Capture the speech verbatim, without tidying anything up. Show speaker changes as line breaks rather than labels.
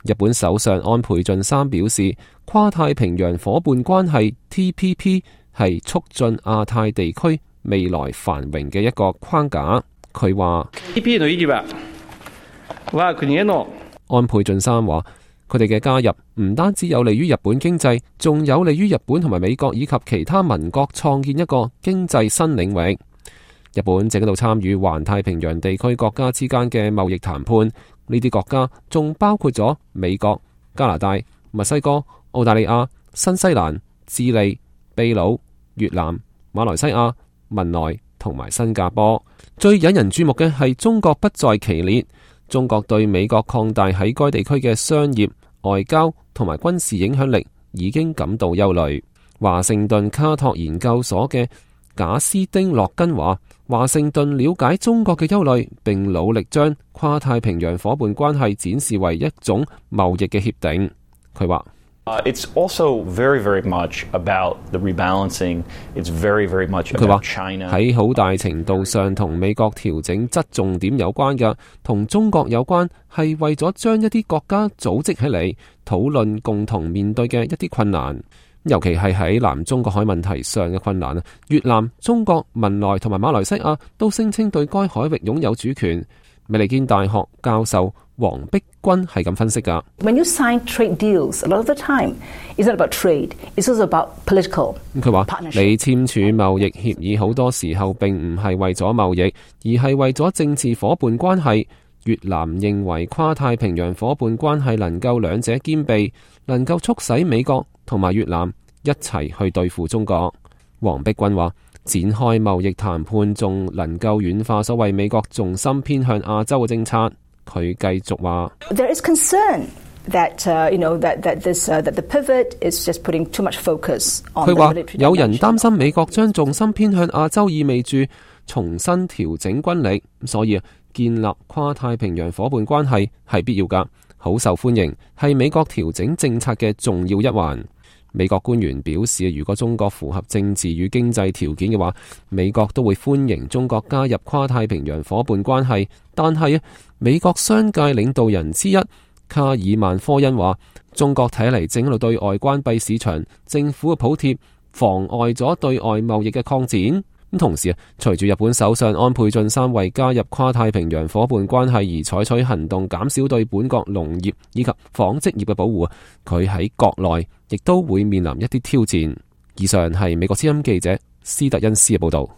日本首相安倍晉三表示，跨太平洋夥伴關係 T P P 係促進亞太地區未來繁榮嘅一個框架。佢話安倍晉三話，佢哋嘅加入唔單止有利於日本經濟，仲有利於日本同埋美國以及其他盟國創建一個經濟新領域。日本正喺度參與環太平洋地區國家之間嘅貿易談判，呢啲國家仲包括咗美國、加拿大、墨西哥、澳大利亞、新西蘭、智利、秘魯、越南、馬來西亞、文萊同埋新加坡。最引人注目嘅係中國不在其列。中國對美國擴大喺該地區嘅商業、外交同埋軍事影響力已經感到憂慮。華盛頓卡托研究所嘅賈斯丁洛根話，華盛頓了解中國嘅憂慮，並努力將跨太平洋夥伴關係展示為一種貿易嘅協定。佢話
Uh, it's also very, very much about the rebalancing. It's very, very much about China.
喺好大程度上同美國調整側重點有關嘅，同中國有關，係為咗將一啲國家組織起嚟，討論共同面對嘅一啲困難，尤其係喺南中國海問題上嘅困難。越南、中國、文萊同埋馬來西亞都聲稱對該海域擁有主權。美利堅大學教授黃碧君係咁分析㗎。
When you sign trade deals, a lot of the time, it's not about trade, it's also about political partnership.
佢話你簽署貿易協議好多時候並唔係為咗貿易，而係為咗政治夥伴關係。越南認為跨太平洋夥伴關係能夠兩者兼備，能夠促使美國同埋越南一齊去對付中國。黃碧君話，展開貿易談判仲能夠軟化所謂美國重心偏向亞洲嘅政策。佢繼續話
There is concern that, uh, you know, that, that, this, uh, that the pivot is just putting too much focus on the military dimension. 佢話有人擔心美國將重心偏向亞洲，意味住重新調整軍力，所以建立跨太平洋夥伴關係係必要㗎，好受歡迎，係美國調整政策嘅重要一環。美國官員表示，如果中國符合政治與經濟條件嘅話，美國都會歡迎中國加入跨太平洋夥伴關係。但係美國商界領導人之一卡爾曼科恩話，中國睇嚟正喺度對外關閉市場，政府嘅補貼妨礙咗對外貿易嘅擴展。咁同時啊，隨住日本首相安倍晉三為加入跨太平洋夥伴關係而採取行動，減少對本國農業以及紡織業嘅保護，佢喺國內亦都會面臨一啲挑戰。以上係美國之音記者斯特恩斯嘅報道。